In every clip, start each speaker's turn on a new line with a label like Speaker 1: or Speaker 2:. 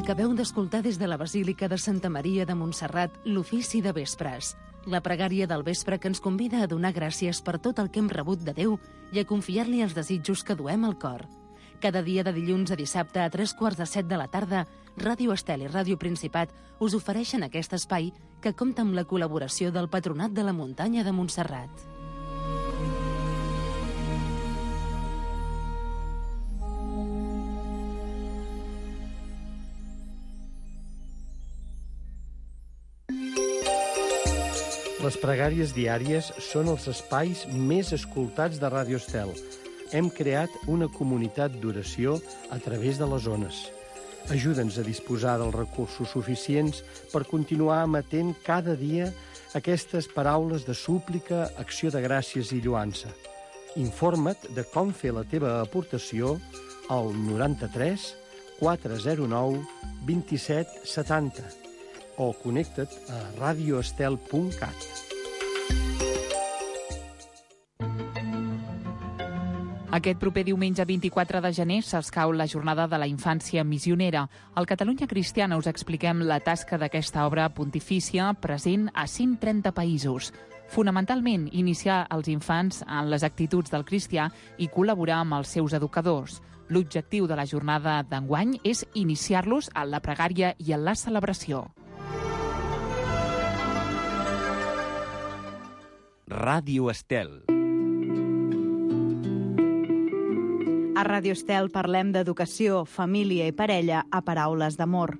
Speaker 1: Acabeu d'escoltar des de la Basílica de Santa Maria de Montserrat l'ofici de vespres, la pregària del vespre que ens convida a donar gràcies per tot el que hem rebut de Déu i a confiar-li els desitjos que duem al cor. Cada dia de dilluns a dissabte a 3:45 de la tarda, Ràdio Estel i Ràdio Principat us ofereixen aquest espai que compta amb la col·laboració del Patronat de la Muntanya de Montserrat.
Speaker 2: Les pregàries diàries són els espais més escoltats de Ràdio Estel. Hem creat una comunitat d'oració a través de les ones. Ajuda'ns a disposar dels recursos suficients per continuar emetent cada dia aquestes paraules de súplica, acció de gràcies i lluança. Informa't de com fer la teva aportació al 93 409 27 70 o connecta't a radioestel.cat.
Speaker 3: Aquest proper diumenge 24 de gener s'escau la Jornada de la Infància Missionera. Al Catalunya Cristiana us expliquem la tasca d'aquesta obra pontifícia present a 130 països. Fonamentalment, iniciar els infants en les actituds del cristià i col·laborar amb els seus educadors. L'objectiu de la jornada d'enguany és iniciar-los en la pregària i en la celebració.
Speaker 4: Ràdio Estel.
Speaker 5: A Ràdio Estel parlem d'educació, família i parella a Paraules d'Amor,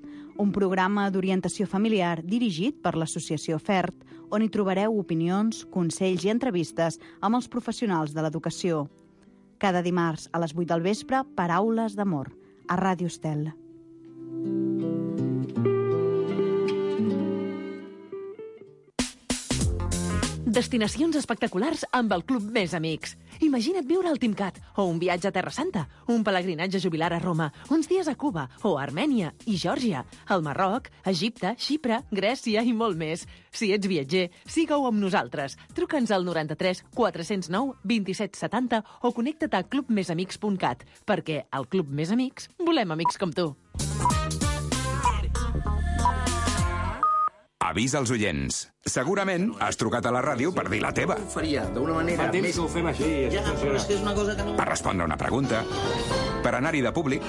Speaker 5: un programa d'orientació familiar dirigit per l'Associació FERT, on hi trobareu opinions, consells i entrevistes amb els professionals de l'educació. Cada dimarts a les 8 del vespre, Paraules d'Amor, a Ràdio Estel.
Speaker 6: Destinacions espectaculars amb el Club Més Amics. Imagina't viure al Timcat, o un viatge a Terra Santa, un pelegrinatge jubilar a Roma, uns dies a Cuba, o a Armènia i Geòrgia, al Marroc, Egipte, Xipre, Grècia i molt més. Si ets viatger, siga-ho amb nosaltres. Truca'ns al 93 409 27 70 o connecta't a clubmesamics.cat, perquè al Club Més Amics volem amics com tu.
Speaker 7: Avís als oients. Segurament has trucat a la ràdio per dir la teva.
Speaker 8: Ho faria d'una manera
Speaker 9: més... que ho fem així.
Speaker 8: Ja, però és que és una cosa que no...
Speaker 7: Per respondre una pregunta, per anar-hi de públic,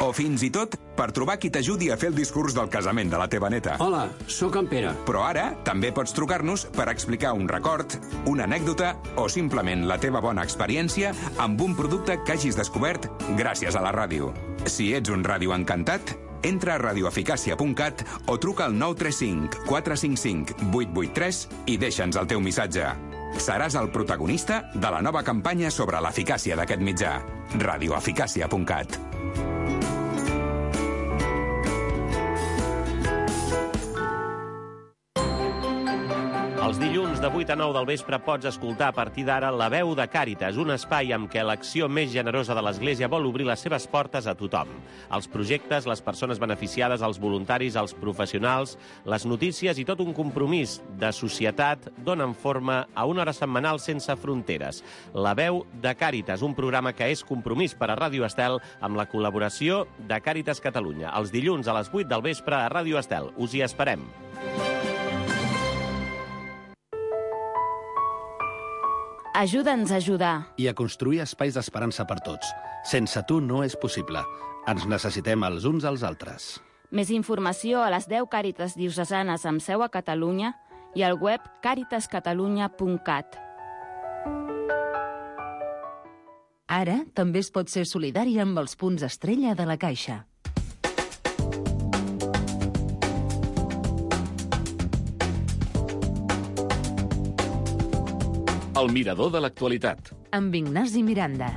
Speaker 7: o fins i tot per trobar qui t'ajudi a fer el discurs del casament de la teva neta.
Speaker 9: Hola, sóc en Pere.
Speaker 7: Però ara també pots trucar-nos per explicar un record, una anècdota o simplement la teva bona experiència amb un producte que hagis descobert gràcies a la ràdio. Si ets un ràdio encantat, entra a radioeficàcia.cat o truca al 935 455 883 i deixa'ns el teu missatge. Seràs el protagonista de la nova campanya sobre l'eficàcia d'aquest mitjà. radioeficàcia.cat.
Speaker 10: Els dilluns de 8 a 9 del vespre pots escoltar a partir d'ara La Veu de Càritas, un espai amb què l'acció més generosa de l'Església vol obrir les seves portes a tothom. Els projectes, les persones beneficiades, els voluntaris, els professionals, les notícies i tot un compromís de societat donen forma a una hora setmanal sense fronteres. La Veu de Càritas, un programa que és compromís per a Ràdio Estel amb la col·laboració de Càritas Catalunya. Els dilluns a les 8 del vespre a Ràdio Estel. Us hi esperem.
Speaker 5: Ajuda'ns a ajudar.
Speaker 11: I a construir espais d'esperança per tots. Sense tu no és possible. Ens necessitem els uns als altres.
Speaker 5: Més informació a les 10 Càritas diocesanes amb seu a Catalunya i al web caritascatalunya.cat.
Speaker 1: Ara també es pot ser solidari amb els punts estrella de la Caixa.
Speaker 12: El mirador de l'actualitat.
Speaker 1: Amb Ignasi Miranda.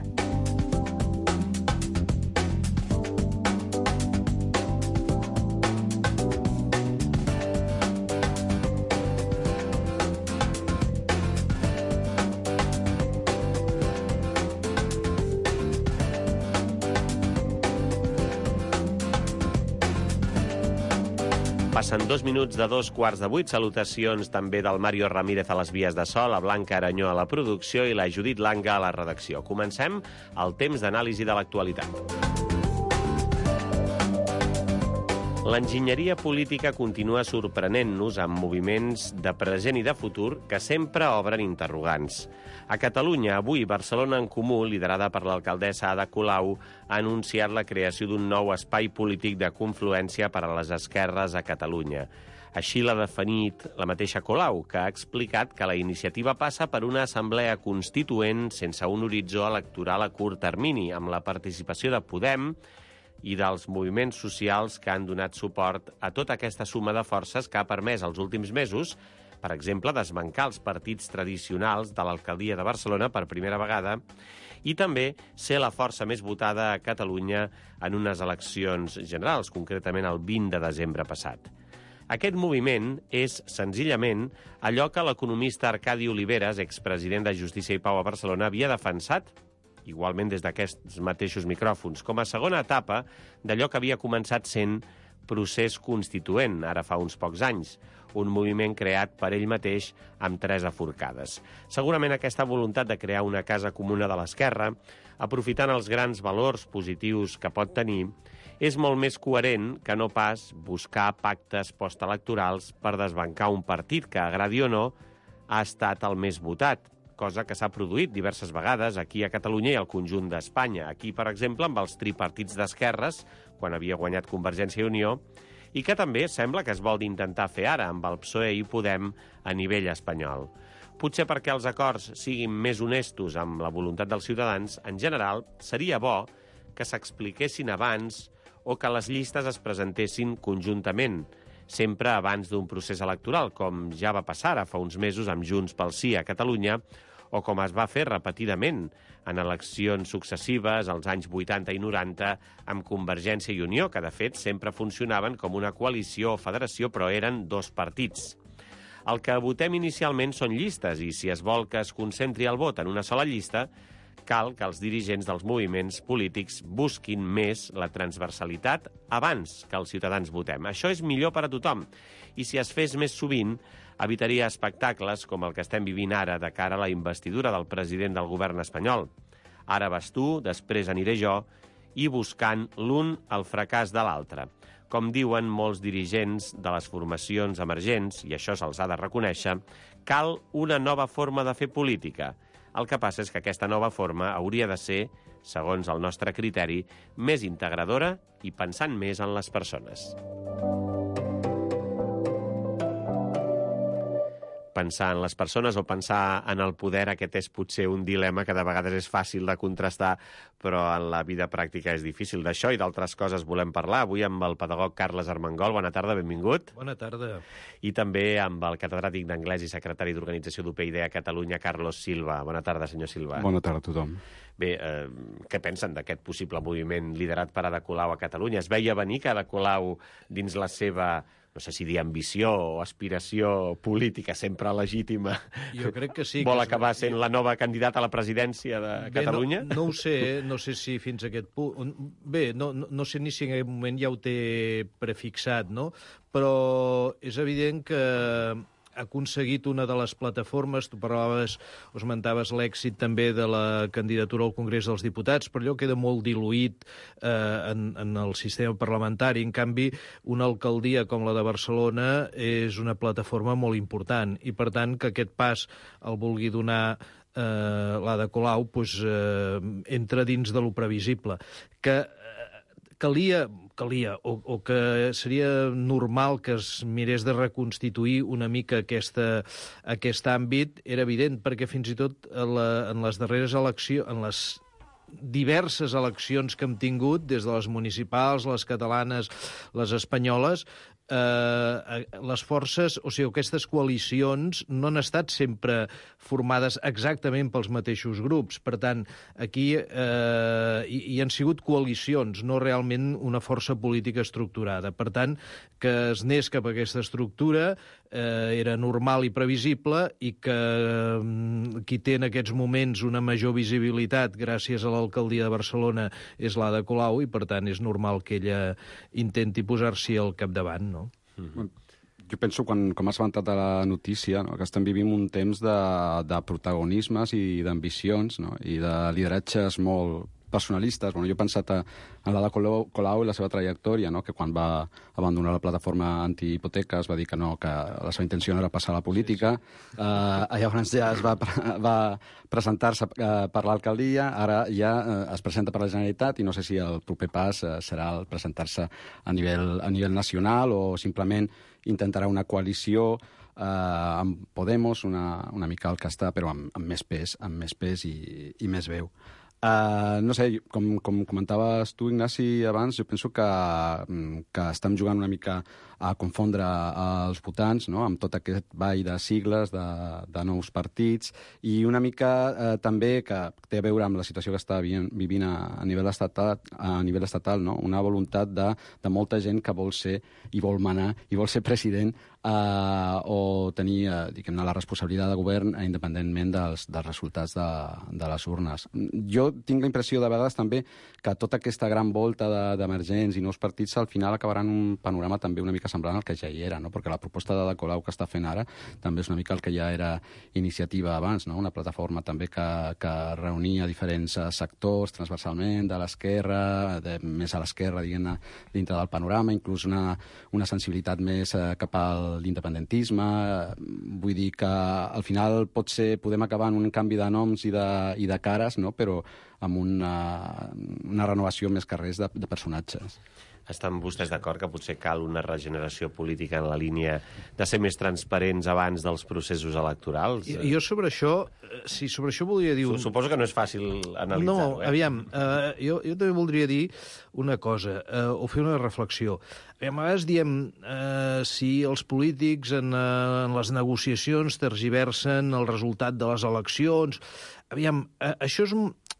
Speaker 10: Passen 2 minuts de 2:15. Salutacions també del Mario Ramírez a les vies de so, la Blanca Aranyó a la producció i la Judit Langa a la redacció. Comencem el temps d'anàlisi de l'actualitat. L'enginyeria política continua sorprenent-nos amb moviments de present i de futur que sempre obren interrogants. A Catalunya, avui, Barcelona en Comú, liderada per l'alcaldessa Ada Colau, ha anunciat la creació d'un nou espai polític de confluència per a les esquerres a Catalunya. Així l'ha definit la mateixa Colau, que ha explicat que la iniciativa passa per una assemblea constituent sense un horitzó electoral a curt termini, amb la participació de Podem i dels moviments socials que han donat suport a tota aquesta suma de forces que ha permès els últims mesos, per exemple, desbancar els partits tradicionals de l'alcaldia de Barcelona per primera vegada i també ser la força més votada a Catalunya en unes eleccions generals, concretament el 20 de desembre passat. Aquest moviment és, senzillament, allò que l'economista Arcadi Oliveres, expresident de Justícia i Pau a Barcelona, havia defensat, igualment des d'aquests mateixos micròfons, com a segona etapa d'allò que havia començat sent procés constituent, ara fa uns pocs anys, un moviment creat per ell mateix amb 3 aforcades. Segurament aquesta voluntat de crear una casa comuna de l'esquerra, aprofitant els grans valors positius que pot tenir, és molt més coherent que no pas buscar pactes postelectorals per desbancar un partit que, agradi o no, ha estat el més votat, cosa que s'ha produït diverses vegades aquí a Catalunya i al conjunt d'Espanya. Aquí, per exemple, amb els tripartits d'esquerres, quan havia guanyat Convergència i Unió, i que també sembla que es vol intentar fer ara amb el PSOE i Podem a nivell espanyol. Potser perquè els acords siguin més honestos amb la voluntat dels ciutadans, en general, seria bo que s'expliquessin abans o que les llistes es presentessin conjuntament, sempre abans d'un procés electoral, com ja va passar fa uns mesos amb Junts pel Sí a Catalunya, o com es va fer repetidament en eleccions successives als anys 80 i 90 amb Convergència i Unió, que de fet sempre funcionaven com una coalició o federació, però eren 2 partits. El que votem inicialment són llistes, i si es vol que es concentri el vot en una sola llista, cal que els dirigents dels moviments polítics busquin més la transversalitat abans que els ciutadans votem. Això és millor per a tothom. I si es fes més sovint, evitaria espectacles com el que estem vivint ara de cara a la investidura del president del govern espanyol. Ara vas tu, després aniré jo, i buscant l'un el fracàs de l'altre. Com diuen molts dirigents de les formacions emergents, i això se'ls ha de reconèixer, cal una nova forma de fer política. El que passa és que aquesta nova forma hauria de ser, segons el nostre criteri, més integradora i pensant més en les persones. Pensar en les persones o pensar en el poder, aquest és potser un dilema que de vegades és fàcil de contrastar, però en la vida pràctica és difícil. D'això i d'altres coses volem parlar avui amb el pedagog Carles Armengol. Bona tarda, benvingut.
Speaker 13: Bona tarda.
Speaker 10: I també amb el catedràtic d'anglès i secretari d'organització d'UPyD a Catalunya, Carlos Silva. Bona tarda, senyor Silva.
Speaker 14: Bona tarda a tothom.
Speaker 10: Bé, què pensen d'aquest possible moviment liderat per Ada Colau a Catalunya? Es veia venir que Ada Colau, dins la seva, no sé si dir ambició o aspiració política sempre legítima,
Speaker 13: jo crec que sí,
Speaker 10: vol acabar sent la nova candidata a la presidència de Catalunya?
Speaker 13: No ho sé, no sé si fins a aquest punt... Bé, no sé ni si en aquest moment ja ho té prefixat, no? Però és evident que ha aconseguit una de les plataformes, tu parlaves, o esmentaves l'èxit també de la candidatura al Congrés dels Diputats, però allò queda molt diluït en el sistema parlamentari. En canvi, una alcaldia com la de Barcelona és una plataforma molt important i, per tant, que aquest pas el vulgui donar l'Ada Colau entra dins de lo previsible. Que calia o que seria normal que es mirés de reconstituir una mica aquest àmbit, era evident, perquè fins i tot en les darreres eleccions, en les diverses eleccions que hem tingut, des de les municipals, les catalanes, les espanyoles, les forces, o sigui, aquestes coalicions no han estat sempre formades exactament pels mateixos grups. Per tant, aquí hi han sigut coalicions, no realment una força política estructurada. Per tant, que es anés cap a aquesta estructura era normal i previsible, i que qui té en aquests moments una major visibilitat gràcies a l'alcaldia de Barcelona és l'Ada Colau, i per tant és normal que ella intenti posar-s'hi al capdavant, no?
Speaker 14: Jo penso, com has avançat a la notícia, no, que estem vivint un temps de protagonismes i d'ambicions, no, i de lideratges molt personalistes. Bueno, jo he pensat en l'Ada Colau i la seva trajectòria, no? Que quan va abandonar la plataforma antihipoteques va dir que no, que la seva intenció no era passar a la política. Llavors ja es va presentar-se per l'alcaldia, ara ja es presenta per la Generalitat i no sé si el proper pas serà el presentar-se a nivell nacional o simplement intentarà una coalició amb Podemos, una mica al que està, però amb més pes i més veu. No sé, com comentaves tu, Ignasi, abans, jo penso que estem jugant una mica a confondre els votants, no?, amb tot aquest ball de sigles, de nous partits, i una mica també que té a veure amb la situació que està vivint a nivell estatal, no?, una voluntat de molta gent que vol ser i vol manar i vol ser president o tenir, diguem-ne, la responsabilitat de govern independentment dels resultats de les urnes. Jo tinc la impressió de vegades també que tota aquesta gran volta d'emergents i nous partits al final acabaran un panorama també una mica semblant al que ja hi era, no? Perquè la proposta de Colau que està fent ara també és una mica el que ja era iniciativa abans, no? Una plataforma també que reunia diferents sectors transversalment de l'esquerra, més a l'esquerra, diguem-ne, dintre del panorama, inclús una sensibilitat més cap a l'independentisme. Vull dir que al final podem acabar en un canvi de noms i de cares, no?, però amb una renovació més que res de personatges.
Speaker 10: Estan vostès d'acord que potser cal una regeneració política en la línia de ser més transparents abans dels processos electorals?
Speaker 13: Jo sobre això voldria dir...
Speaker 10: Suposo que no és fàcil analitzar-ho.
Speaker 13: No, aviam, jo també voldria dir una cosa, o fer una reflexió. A vegades diem si els polítics en les negociacions tergiversen el resultat de les eleccions. Aviam, això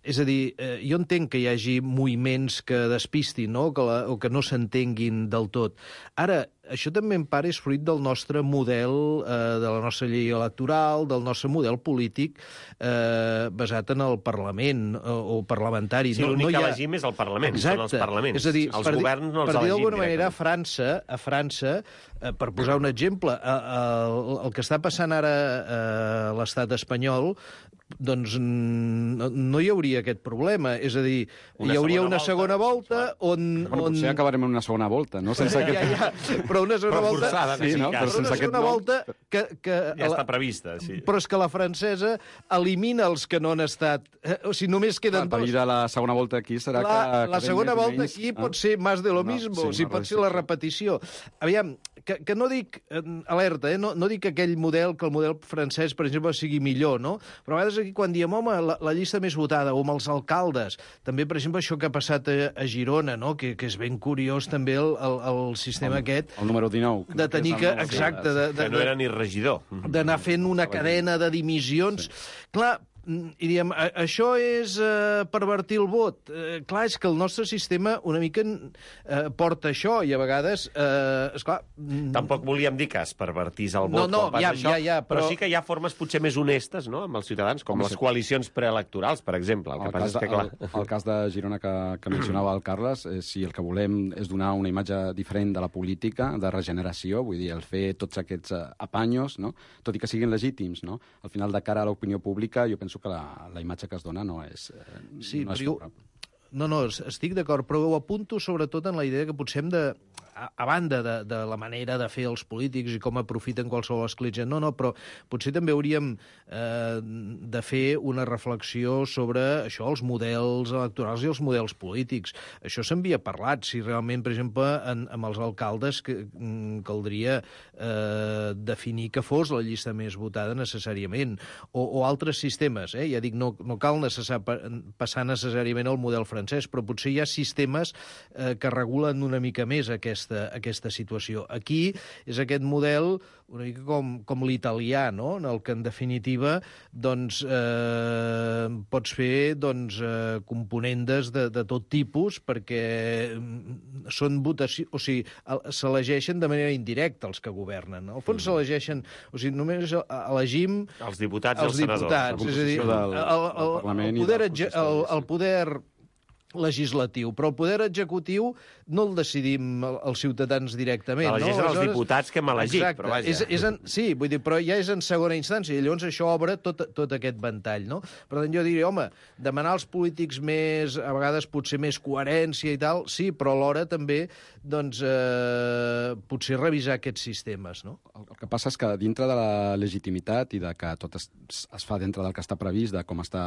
Speaker 13: és a dir, jo entenc que hi hagi moviments que despistin, no?, o que no s'entenguin del tot. Ara, això també en part és fruit del nostre model, de la nostra llei electoral, del nostre model polític basat en el Parlament o parlamentari.
Speaker 10: Sí, l'únic que elegim és el Parlament, són els parlaments.
Speaker 13: És a dir,
Speaker 10: els governs no els elegim
Speaker 13: per dir d'alguna manera, a França, per posar un exemple, el que està passant ara a l'estat espanyol, doncs no hi hauria aquest problema. És a dir, hi hauria una segona volta on...
Speaker 14: Potser acabarem en una segona volta, no? Sense
Speaker 13: Però una segona volta...
Speaker 10: Forçada,
Speaker 13: sí, no? Però una segona volta que
Speaker 10: ja està prevista, sí.
Speaker 13: Però és que la francesa elimina els que no han estat... O sigui, només queden dos.
Speaker 14: El perill de la segona volta aquí serà que...
Speaker 13: La segona volta aquí pot ser más de lo mismo, o sigui, pot ser la repetició. Aviam, que no dic... Alerta, no dic que el model francès, per exemple, sigui millor, no? Però a vegades aquí quan diem, home, la llista més votada, o amb els alcaldes, també, per exemple, això que ha passat a Girona, no?, que és ben curiós també el sistema aquest...
Speaker 14: El número 19.
Speaker 13: De tenir que... Exacte.
Speaker 10: Que no era ni regidor.
Speaker 13: D'anar fent una cadena de dimissions. Clar, i diem, això és pervertir el vot. Clar, és que el nostre sistema una mica porta això, i a vegades, esclar...
Speaker 10: Tampoc volíem dir que es pervertís el vot quan passa això, però sí que hi ha formes potser més honestes, no?, amb els ciutadans, com les coalicions preelectorals, per exemple. El
Speaker 14: cas de Girona que mencionava el Carles, si el que volem és donar una imatge diferent de la política, de regeneració, vull dir, el fer tots aquests apanyos, no?, tot i que siguin legítims, no?, al final, de cara a l'opinió pública, jo penso que la imatge que es dona no és favorable.
Speaker 13: No, estic d'acord, però ho apunto sobretot en la idea que potser hem de, a banda de la manera de fer els polítics i com aprofiten qualsevol escletxa, no, però potser també hauríem de fer una reflexió sobre això, els models electorals i els models polítics. Això s'havia parlat, si realment, per exemple, amb els alcaldes caldria definir que fos la llista més votada necessàriament, o altres sistemes, ja dic, no cal passar necessàriament al model francès, però potser hi ha sistemes que regulen una mica més aquesta situació. Aquí és aquest model una mica com l'italià, no?, en el que, en definitiva, doncs, pots fer componendes de tot tipus, perquè són votacions... O sigui, s'elegeixen de manera indirecta els que governen. Al fons s'elegeixen... O sigui, només elegim...
Speaker 10: Els diputats i els senadors.
Speaker 13: És a dir, el poder legislatiu, però el poder executiu no el decidim els ciutadans directament.
Speaker 10: Elegeixen els diputats que hem elegit,
Speaker 13: exacte,
Speaker 10: però vaja.
Speaker 13: Sí, vull dir, però ja és en segona instància, i llavors això obre tot aquest ventall, no? Per tant, jo diria, home, demanar als polítics més, a vegades potser més coherència i tal, sí, però alhora també, doncs, potser revisar aquests sistemes, no?
Speaker 14: El que passa és que dintre de la legitimitat i de que tot es fa dintre del que està previst, de com està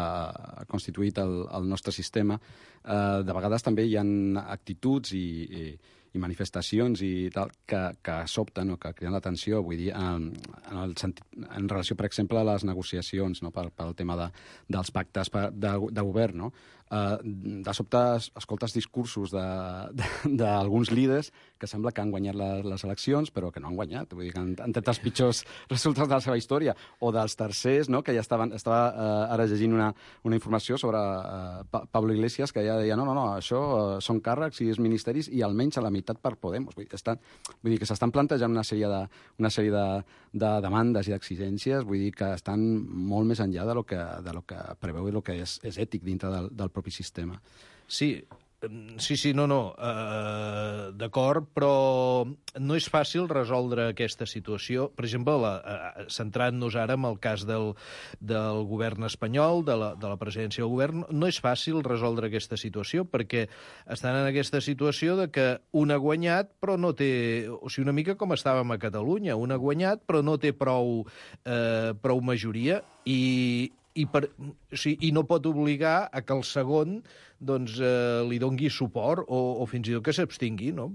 Speaker 14: constituït el nostre sistema, de vegades també hi ha actituds i manifestacions i tal que sobten o que criden l'atenció, vull dir, en relació, per exemple, a les negociacions, no? pel tema dels pactes de govern, no? De sobte escoltes discursos d'alguns líders que sembla que han guanyat les eleccions, però que no han guanyat, vull dir que han tret els pitjors resultats de la seva història, o dels tercers, no? Que ja estava ara llegint una informació sobre Pablo Iglesias, que ja deia, no, això són càrrecs i és ministeris i almenys a la meitat per Podemos. Vull dir que s'estan plantejant una sèrie de demandes i d'exigències, vull dir que estan molt més enllà de lo que preveu i el que és ètic dintre del propi sistema.
Speaker 13: Sí, d'acord, però no és fàcil resoldre aquesta situació. Per exemple, centrant-nos ara en el cas del govern espanyol, de la presidència del govern, no és fàcil resoldre aquesta situació, perquè estan en aquesta situació de que un ha guanyat, però no té... O sigui, una mica com estàvem a Catalunya, un ha guanyat, però no té prou majoria, i no pot obligar a que el segon li dongui suport o fins i tot que s'abstingui, no?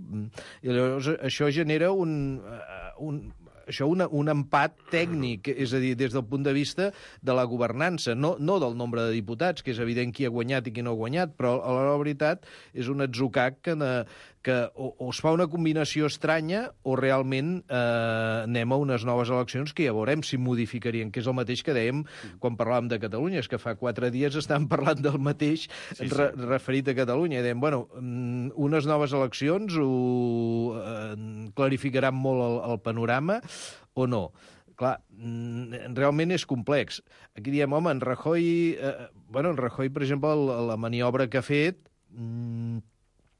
Speaker 13: I llavors això genera un empat tècnic, és a dir, des del punt de vista de la governança, no del nombre de diputats, que és evident qui ha guanyat i qui no ha guanyat, però a la veritat és un atzucac que o es fa una combinació estranya o realment anem a unes noves eleccions que ja veurem si modificarien, que és el mateix que dèiem quan parlàvem de Catalunya, és que fa 4 dies estàvem parlant del mateix referit a Catalunya, i dèiem, bueno, unes noves eleccions clarificaran molt el panorama o no. Clar, realment és complex. Aquí diem, home, en Rajoy, per exemple, la maniobra que ha fet,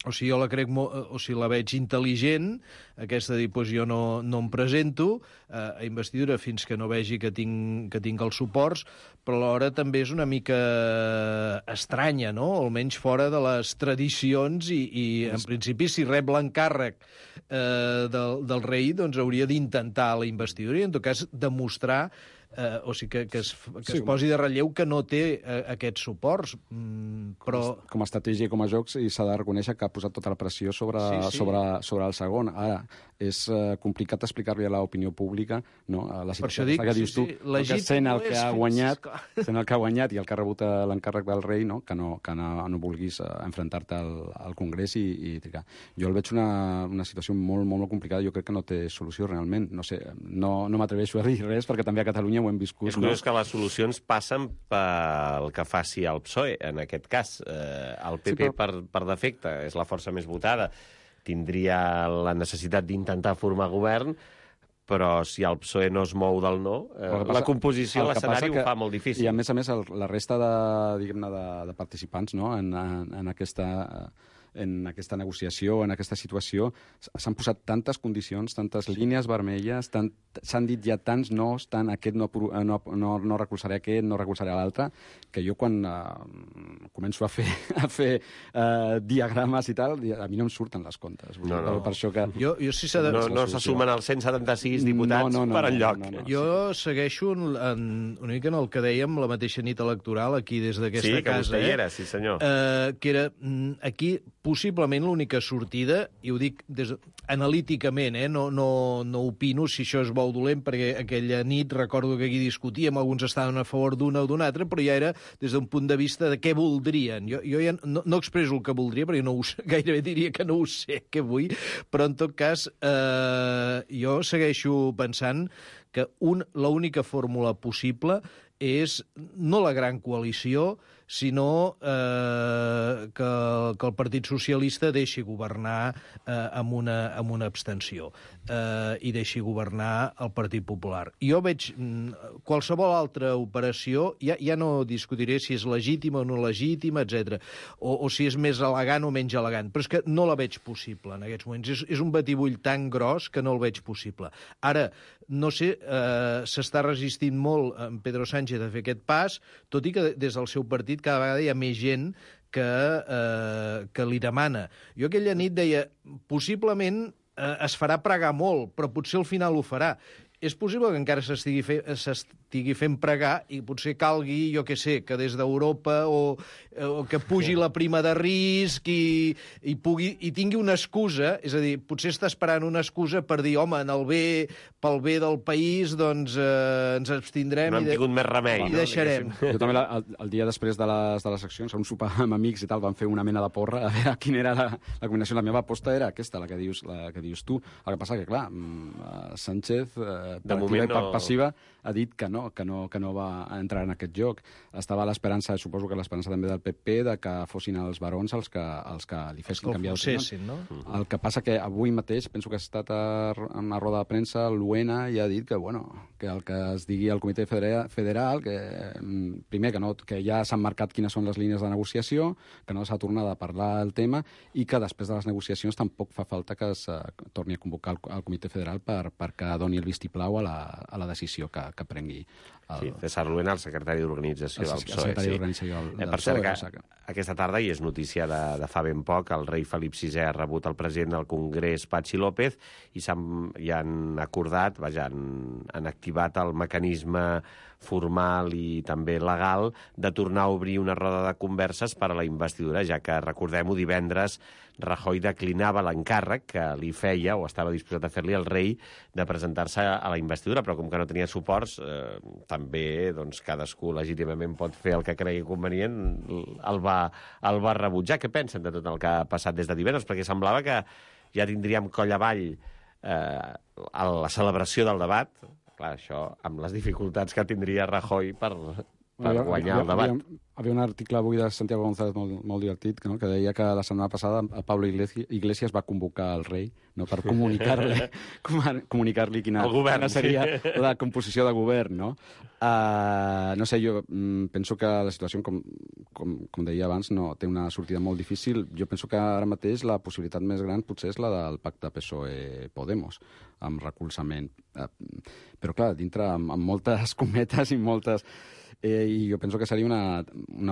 Speaker 13: o sigui, jo la crec la veig intel·ligent, aquesta de dir, doncs jo no em presento a investidura fins que no vegi que tinc els suports, però alhora també és una mica estranya, no? Almenys fora de les tradicions i en principi, si rep l'encàrrec del rei, doncs hauria d'intentar la investidura i, en tot cas, demostrar o sigui, que es posi de relleu que no té aquests suports, però...
Speaker 14: Com a estratègia i com a jocs, i s'ha de reconèixer que ha posat tota la pressió sobre el segon. Ara, és complicat explicar-li a l'opinió pública, no? A la situació que dius tu, sent el que ha guanyat i el que ha rebut l'encàrrec del rei, no? Que no vulguis enfrontar-te al Congrés i trigar. Jo el veig una situació molt, molt complicada. Jo crec que no té solució realment. No sé, no m'atreveixo a dir res, perquè també a Catalunya ho hem viscut.
Speaker 10: És curiós que les solucions passen pel que faci el PSOE, en aquest cas. El PP, per defecte, és la força més votada, tindria la necessitat d'intentar formar govern, però si el PSOE no es mou del no, la composició, l'escenari ho fa molt difícil.
Speaker 14: I a més, la resta de participants, no? en aquesta negociació, en aquesta situació, s'han posat tantes condicions, tantes línies vermelles, s'han dit ja tants nos, tant aquest no recolzaré aquest, no recolzaré l'altre, que jo quan començo a fer diagrames i tal, a mi no em surten les comptes.
Speaker 10: No.
Speaker 14: Per això que...
Speaker 10: No se sumen els 176 diputats per enlloc.
Speaker 13: Jo segueixo una mica en el que dèiem la mateixa nit electoral aquí des d'aquesta casa. Sí,
Speaker 10: que vostè hi era, sí senyor.
Speaker 13: Que era aquí possiblement l'única sortida, i ho dic analíticament, no opino si això és bo o dolent, perquè aquella nit recordo que aquí discutíem, alguns estaven a favor d'una o d'una altra, però ja era des d'un punt de vista de què voldrien. Jo ja no expresso el que voldria, perquè gairebé diria que no ho sé què vull, però en tot cas jo segueixo pensant que l'única fórmula possible és no la gran coalició, sinó que el Partit Socialista deixi governar amb una abstenció i deixi governar el Partit Popular. Jo veig qualsevol altra operació, ja no discutiré si és legítima o no legítima, etc. O si és més elegant o menys elegant, però és que no la veig possible en aquests moments. És un batibull tan gros que no el veig possible. Ara, no sé, s'està resistint molt en Pedro Sánchez a fer aquest pas, tot i que des del seu partit cada vegada hi ha més gent que li demana. Jo aquella nit deia, possiblement es farà pregar molt, però potser al final ho farà. És possible que encara s'estigui fent pregar i potser calgui, jo què sé, que des d'Europa o que pugi la prima de risc i tingui una excusa, és a dir, potser està esperant una excusa per dir, home, pel bé del país, doncs ens abstindrem
Speaker 10: no hem tingut més remei,
Speaker 13: i deixarem.
Speaker 14: Jo també, el dia després de les accions, a un sopar amb amics i tal, vam fer una mena de porra a veure quina era la combinació. La meva aposta era aquesta, la que dius tu. El que passa que, clar, Sánchez per activa i per passiva ha dit que no va entrar en aquest joc. Estava a l'esperança, suposo que l'esperança també del PP, de que fossin els barons els que li fessin canviar el tema.
Speaker 13: No?
Speaker 14: El que passa que avui mateix, penso que ha estat en una roda de premsa, l'UENA ja ha dit que el que es digui al Comitè Federal, que primer que ja s'han marcat quines són les línies de negociació, que no s'ha tornat a parlar del tema i que després de les negociacions tampoc fa falta que es torni a convocar el Comitè Federal perquè doni el vistiplau a la decisió que prengui.
Speaker 10: César Luena, el secretari d'Organització del PSOE. Per cert, que aquesta tarda, i és notícia de fa ben poc, el rei Felip VI ha rebut el president del Congrés, Patxi López, i han acordat, han activat el mecanisme formal i també legal de tornar a obrir una roda de converses per a la investidura, ja que, recordem-ho, divendres Rajoy declinava l'encàrrec que li feia, o estava disposat a fer-li el rei, de presentar-se a la investidura, però com que no tenia suports, també cadascú legítimament pot fer el que cregui convenient, el va rebutjar. Què pensen de tot el que ha passat des de divendres? Perquè semblava que ja tindríem coll avall a la celebració del debat. Clar, això amb les dificultats que tindria Rajoy per guanyar el debat.
Speaker 14: Hi havia un article avui de Santiago González molt divertit, no? Que deia que la setmana passada Pablo Iglesias va convocar el rei, no? Per comunicar-li quina seria la composició de govern. No? No sé, jo penso que la situació, com deia abans, no té una sortida molt difícil. Jo penso que ara mateix la possibilitat més gran potser és la del pacte PSOE-Podemos, amb recolzament. Però, clar, dintre amb moltes cometes i moltes... I jo penso que seria una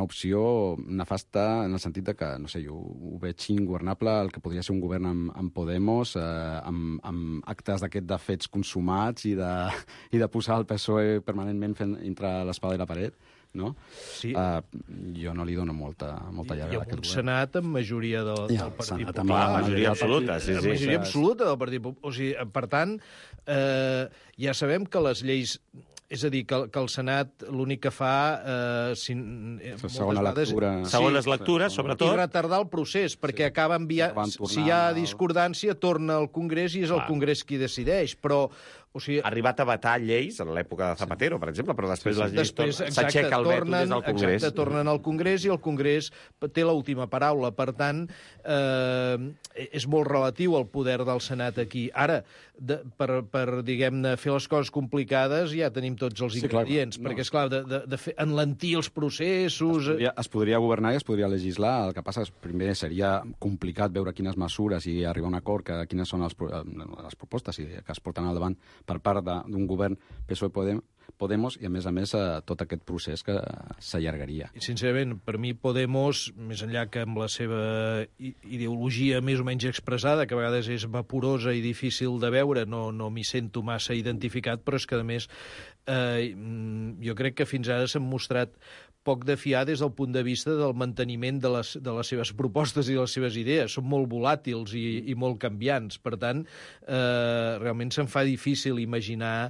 Speaker 14: opció nefasta en el sentit de que, no sé, jo ho veig ingovernable, el que podria ser un govern amb Podemos, amb actes d'aquest de fets consumats i de posar el PSOE permanentment fent entre l'espada i la paret. No?
Speaker 13: Sí.
Speaker 14: Jo no li dono molta llarga.
Speaker 13: I amb un Senat amb majoria del Partit Popular.
Speaker 10: Majoria absoluta, sí.
Speaker 13: Majoria absoluta del Partit Popular. O sigui, per tant, ja sabem que les lleis... És a dir, que el Senat l'únic que fa...
Speaker 10: Segones lectures, sobretot.
Speaker 13: I retardar el procés, perquè acaba enviant... Si hi ha discordància, torna al Congrés i és el Congrés qui decideix, però... O sigui,
Speaker 10: ha arribat a vetar lleis en l'època de Zapatero, per exemple, però després les lleis s'aixeca el veto des del Congrés.
Speaker 13: Exacte, tornen al Congrés i el Congrés té l'última paraula. Per tant, és molt relatiu el poder del Senat aquí. Ara, per diguem-ne, fer les coses complicades ja tenim tots els ingredients, perquè, esclar, de enlentir els processos...
Speaker 14: Es podria governar i es podria legislar. El que passa és, primer, seria complicat veure quines mesures i arribar a un acord, quines són les propostes que es porten al davant per part d'un govern PSOE-Podemos i, a més, tot aquest procés que s'allargaria.
Speaker 13: Sincerament, per mi Podemos, més enllà que amb la seva ideologia més o menys expressada, que a vegades és vaporosa i difícil de veure, no m'hi sento massa identificat, però és que, a més, jo crec que fins ara s'han mostrat poc de fiar des del punt de vista del manteniment de les seves propostes i de les seves idees. Són molt volàtils i molt canviants. Per tant, realment se'm fa difícil imaginar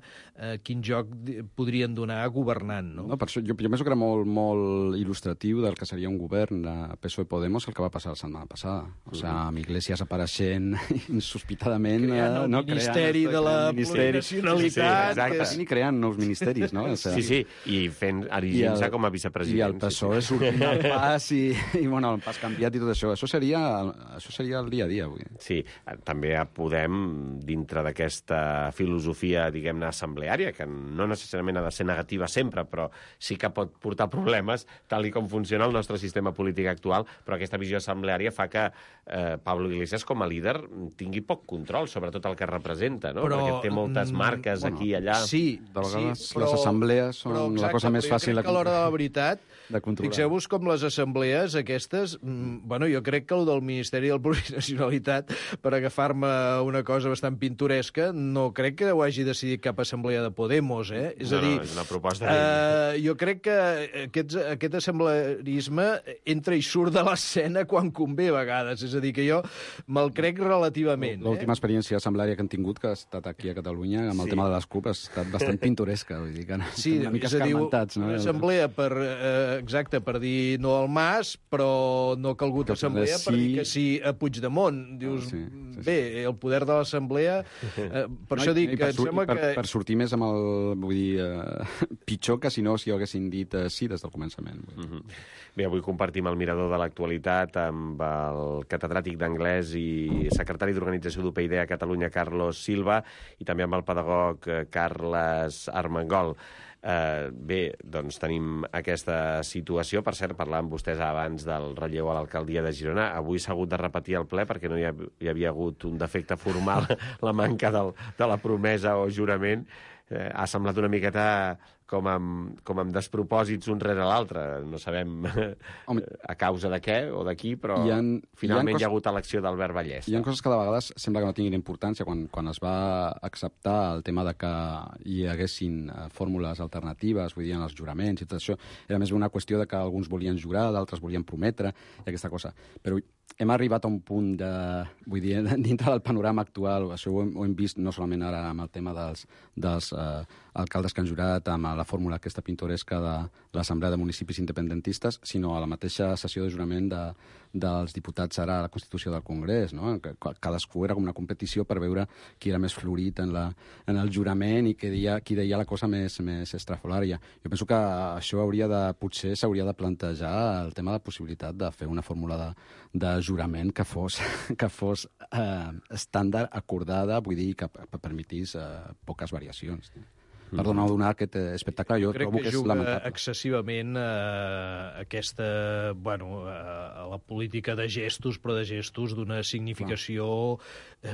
Speaker 13: quin joc podrien donar governant. No?
Speaker 14: Per això, jo penso que era molt il·lustratiu del que seria un govern de PSOE-Podemos el que va passar la setmana passada. O sigui, amb Iglesias apareixent insospitadament...
Speaker 13: Creant el Ministeri de la Plurinacionalitat.
Speaker 14: Ni creant nous ministeris, no?
Speaker 10: Sí, i erigint-se com a vicepresident president.
Speaker 14: I el PSOE sortint del pas i bueno, el pas canviat i tot això. Això seria el dia a dia avui.
Speaker 10: Sí, també podem, dintre d'aquesta filosofia, diguem-ne, assembleària, que no necessàriament ha de ser negativa sempre, però sí que pot portar problemes, tal i com funciona el nostre sistema polític actual, però aquesta visió assembleària fa que Pablo Iglesias, com a líder, tingui poc control sobre tot el que representa, no? Perquè té moltes marques aquí i allà.
Speaker 13: Sí,
Speaker 14: de vegades les assemblees són la cosa més fàcil
Speaker 13: de controlar. Però jo crec que a l'hora de la veritat, fixeu-vos com les assemblees aquestes, bueno, jo crec que el del Ministeri del Plurinacionalitat, per agafar-me una cosa bastant pintoresca, no crec que ho hagi decidit cap assemblea de Podemos, eh? És a dir,
Speaker 10: és una proposta
Speaker 13: jo crec que aquest assemblearisme entra i surt de l'escena quan convé a vegades, és a dir, que jo me'l crec relativament.
Speaker 14: L'última experiència assembleària que han tingut, que ha estat aquí a Catalunya, amb el tema de les CUP, ha estat bastant pintoresca, vull dir que una mica escarmentats.
Speaker 13: Una assemblea per dir no al Mas, però no ha calgut assemblea per dir que sí a Puigdemont. Dius, bé, el poder de l'assemblea... Per això dic que em sembla que...
Speaker 14: Per sortir més amb el... Vull dir, pitjor que si no si ho haguessin dit sí des del començament.
Speaker 10: Bé, avui compartim el mirador de l'actualitat amb el catedràtic d'anglès i secretari d'Organització d'UPyD a Catalunya, Carlos Silva, i també amb el pedagog Carles Armengol. Bé, doncs tenim aquesta situació. Per cert, parlàvem vostès abans del relleu a l'alcaldia de Girona. Avui s'ha hagut de repetir el ple perquè no hi havia hagut un defecte formal, la manca de la promesa o jurament. Ha semblat una miqueta com amb despropòsits un rere l'altre. No sabem a causa de què o de qui, però finalment hi ha hagut elecció d'Albert Vallès.
Speaker 14: Hi ha coses que de vegades sembla que no tinguin importància. Quan es va acceptar el tema de que hi haguessin fórmules alternatives, vull dir, en els juraments i tot això, era més una qüestió de que alguns volien jurar, d'altres volien prometre, i aquesta cosa. Però hem arribat a un punt vull dir, dintre del panorama actual, això ho hem vist no solament ara amb el tema dels alcaldes que han jurat, amb la fórmula aquesta pintoresca de l'Assemblea de Municipis Independentistes, sinó a la mateixa sessió de jurament dels diputats ara a la Constitució del Congrés, no? Que cadascú era com una competició per veure qui era més florit en el jurament i qui deia la cosa més estrafolària. Jo penso que això potser s'hauria de plantejar el tema de la possibilitat de fer una fórmula de jurament que fos estàndard, acordada, vull dir, que permetís poques variacions. Per donar aquest espectacle, jo trobo que és lamentable.
Speaker 13: Crec que juga excessivament a la política de gestos, però de gestos d'una significació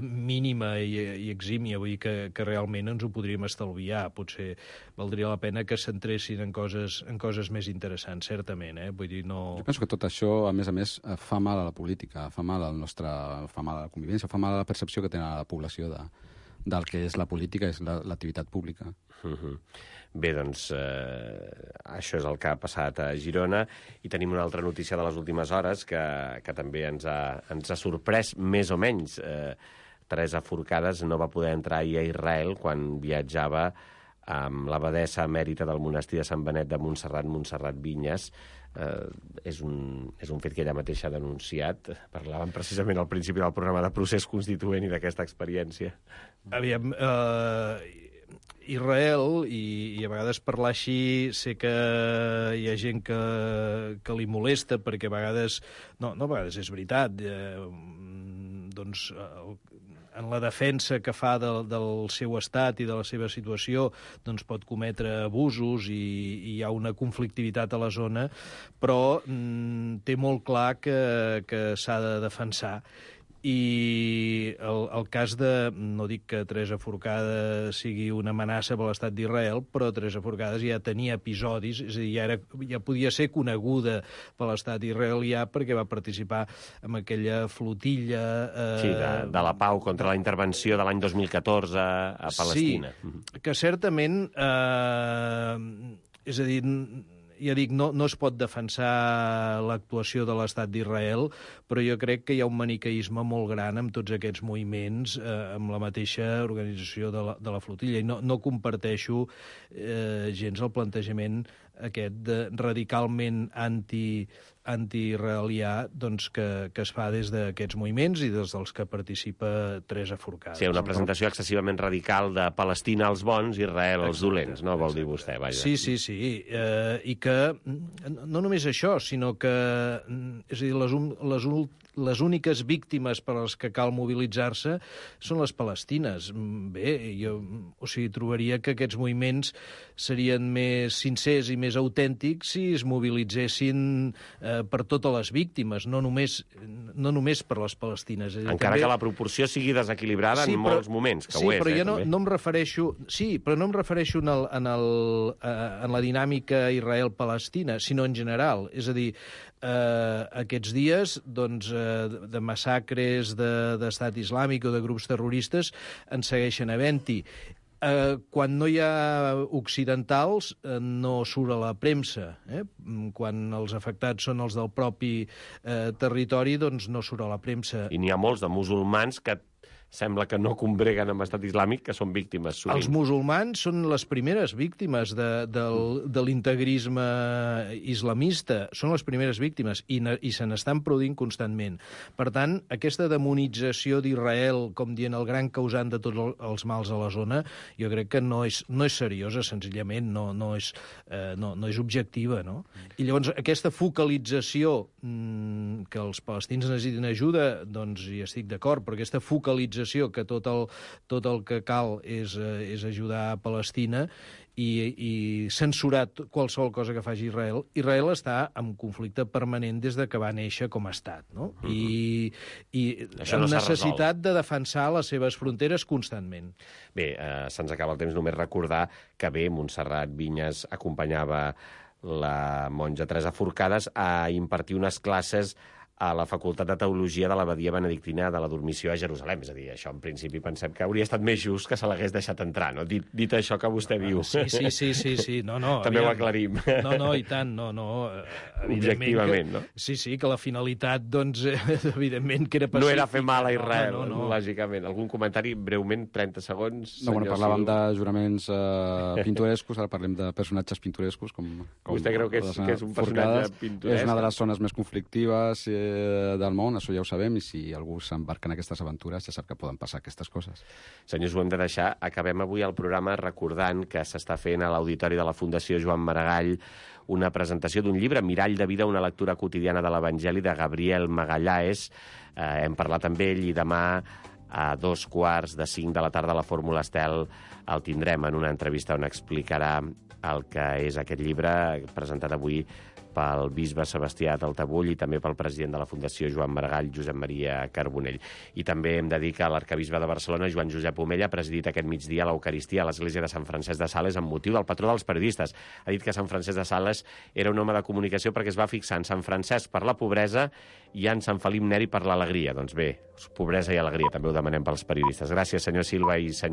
Speaker 13: mínima i exímia. Vull dir que realment ens ho podríem estalviar. Potser valdria la pena que s'entressin en coses més interessants, certament. Vull dir, no...
Speaker 14: Jo penso que tot això, a més, fa mal a la política, fa mal a la convivència, fa mal a la percepció que té la població del que és la política, és l'activitat pública.
Speaker 10: Bé, doncs, això és el que ha passat a Girona, i tenim una altra notícia de les últimes hores que també ens ha sorprès, més o menys. Teresa Forcades no va poder entrar ahir a Israel quan viatjava amb l'abadessa emèrita del monestir de Sant Benet de Montserrat Vinyes. És un fet que ella mateixa ha denunciat. Parlàvem precisament al principi del programa de procés constituent i d'aquesta experiència.
Speaker 13: Aviam, Israel, i a vegades parlar així sé que hi ha gent que li molesta, perquè a vegades, no a vegades és veritat, doncs en la defensa que fa del seu estat i de la seva situació, doncs pot cometre abusos i hi ha una conflictivitat a la zona, però té molt clar que s'ha de defensar. I el cas de... No dic que Teresa Forcades sigui una amenaça per l'estat d'Israel, però Teresa Forcades ja tenia episodis, és a dir, ja podia ser coneguda per l'estat israelià perquè va participar en aquella flotilla...
Speaker 10: Sí, de la pau contra la intervenció de l'any 2014 a Palestina.
Speaker 13: Sí, que certament... és a dir... Ja dic, no es pot defensar l'actuació de l'estat d'Israel, però jo crec que hi ha un maniqueisme molt gran amb tots aquests moviments, amb la mateixa organització de la flotilla. I no comparteixo gens el plantejament aquest radicalment anti-israelià doncs, que es fa des d'aquests moviments i des dels que participa Teresa Forcades.
Speaker 10: Sí, una presentació excessivament radical de Palestina als bons, Israel als dolents, no? Vol dir vostè, vaja.
Speaker 13: Sí. I que no només això, sinó que és a dir, les úniques víctimes per les que cal mobilitzar-se són les palestines. Bé, jo trobaria que aquests moviments serien més sincers i més autèntics si es mobilitzessin per totes les víctimes, no només per les palestines.
Speaker 10: Encara també... que la proporció sigui desequilibrada en molts moments, que ho és.
Speaker 13: Però jo no em refereixo... Sí, però no em refereixo en la dinàmica Israel-Palestina, sinó en general. És a dir, aquests dies doncs, de massacres d'estat islàmic o de grups terroristes en segueixen havent-hi. Quan no hi ha occidentals no surt a la premsa. Quan els afectats són els del propi territori, doncs no surt a la premsa.
Speaker 10: I n'hi ha molts de musulmans que sembla que no combreguen amb estat islàmic, que són víctimes sovint.
Speaker 13: Els musulmans són les primeres víctimes de l'integrisme islamista. Són les primeres víctimes i se n'estan produint constantment. Per tant, aquesta demonització d'Israel com dient el gran causant de tots els mals a la zona, jo crec que no és seriosa, senzillament, no és objectiva, no? I llavors, aquesta focalització que els palestins necessiten ajuda, doncs hi estic d'acord, però aquesta focalització que tot el que cal és ajudar a Palestina i censurar qualsevol cosa que faci Israel. Israel està en conflicte permanent des de que va néixer com a estat, no? I amb necessitat de defensar les seves fronteres constantment.
Speaker 10: Bé, se'ns acaba el temps, només recordar que bé, Montserrat Vinyes acompanyava la monja Teresa Forcades a impartir unes classes a la Facultat de Teologia de l'Abadia Benedictina de la Dormició a Jerusalem. És a dir, això en principi pensem que hauria estat més just que se l'hagués deixat entrar, no? Dit això que vostè diu.
Speaker 13: Sí. No,
Speaker 10: també ho aclarim.
Speaker 13: No, i tant, no.
Speaker 10: Objectivament, no?
Speaker 13: Sí, que la finalitat, doncs, evidentment que era pacífica.
Speaker 10: No era fer mal a Israel, lògicament. Algun comentari, breument, 30 segons?
Speaker 14: No, parlàvem de juraments pintorescos, ara parlem de personatges pintorescos.
Speaker 10: Vostè creu que és un personatge pintoresc?
Speaker 14: És una de les zones més conflictives del món, això ja ho sabem, i si algú s'embarca en aquestes aventures ja sap que poden passar aquestes coses.
Speaker 10: Senyors, ho hem de deixar. Acabem avui el programa recordant que s'està fent a l'Auditori de la Fundació Joan Maragall una presentació d'un llibre, Mirall de vida, una lectura quotidiana de l'Evangeli, de Gabriel Magallaes. Hem parlat amb ell i demà a 4:45 de la tarda a la Fórmula Estel el tindrem en una entrevista on explicarà el que és aquest llibre, presentat avui pel bisbe Sebastià Taltabull i també pel president de la Fundació Joan Maragall, Josep Maria Carbonell. I també hem de dir que l'arcabisbe de Barcelona, Joan Josep Omella, ha presidit aquest migdia l'Eucaristia a l'església de Sant Francesc de Sales amb motiu del patró dels periodistes. Ha dit que Sant Francesc de Sales era un home de comunicació perquè es va fixar en Sant Francesc per la pobresa i en Sant Felip Neri per l'alegria. Doncs bé, pobresa i alegria també ho demanem pels periodistes. Gràcies, senyor Silva i senyor